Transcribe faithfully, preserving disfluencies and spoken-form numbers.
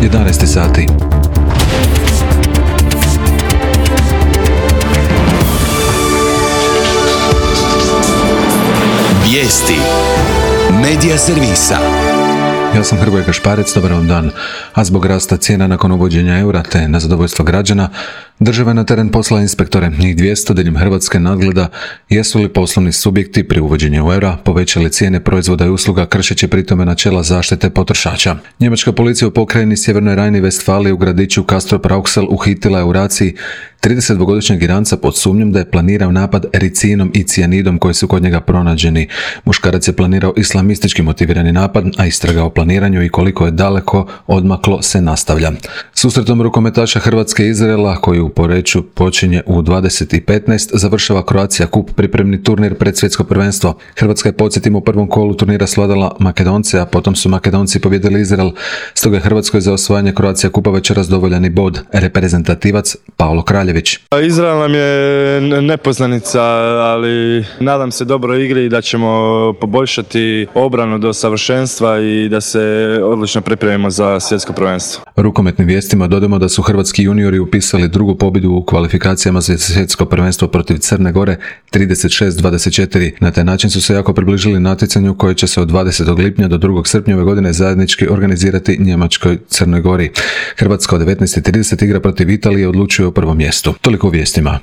jedanaest sati. Vijesti Medija servisa. Ja sam Hrvoje Kašparec, dobar vam dan. A zbog rasta cijena nakon uvođenja eura te na zadovoljstvo građana, država je na teren poslala inspektore, njih dvjesto diljem Hrvatske nadgleda jesu li poslovni subjekti pri uvođenju eura povećali cijene proizvoda i usluga kršeći pritome načela zaštite potrošača. Njemačka policija u pokrajini Sjevernoj Rajni-Vestfaliji u gradiću Castrop-Rauxel uhitila je u raciji tridesetdvogodišnjeg Iranca pod sumnjom da je planirao napad ericinom i cijanidom koji su kod njega pronađeni. Muškarac je planirao islamistički motivirani napad, a istraga o planiranju i koliko je daleko odmaklo se nastavlja. Susretom rukometaša Hrvatske i Izraela, koji u Poreču počinje u dvadeset i petnaest, završava Croatia Cup, pripremni turnir pred svjetsko prvenstvo. Hrvatska je, podsjetimo, u prvom kolu turnira svladala Makedonce, a potom su Makedonci pobjedili Izrael. Stoga je Hrvatskoj za osvajanje Croatia Cupa večeras dovoljan i bod. Reprezentativac Paolo Kraljević. Izrael nam je nepoznanica, ali nadam se dobroj igri i da ćemo poboljšati obranu do savršenstva i da se odlično pripremimo za svjetsko prvenstvo. Rukometnim vijestima dodamo da su hrvatski juniori upisali drugu pobjedu u kvalifikacijama za svjetsko prvenstvo protiv Crne Gore trideset šest dvadeset četiri. Na taj način su se jako približili natjecanju koje će se od dvadesetog lipnja do drugog srpnja ove godine zajednički organizirati Njemačkoj Crnoj Gori. Hrvatska od devetnaest i trideset igra protiv Italije, odlučuje o prvom mjestu. Toliko u vijestima.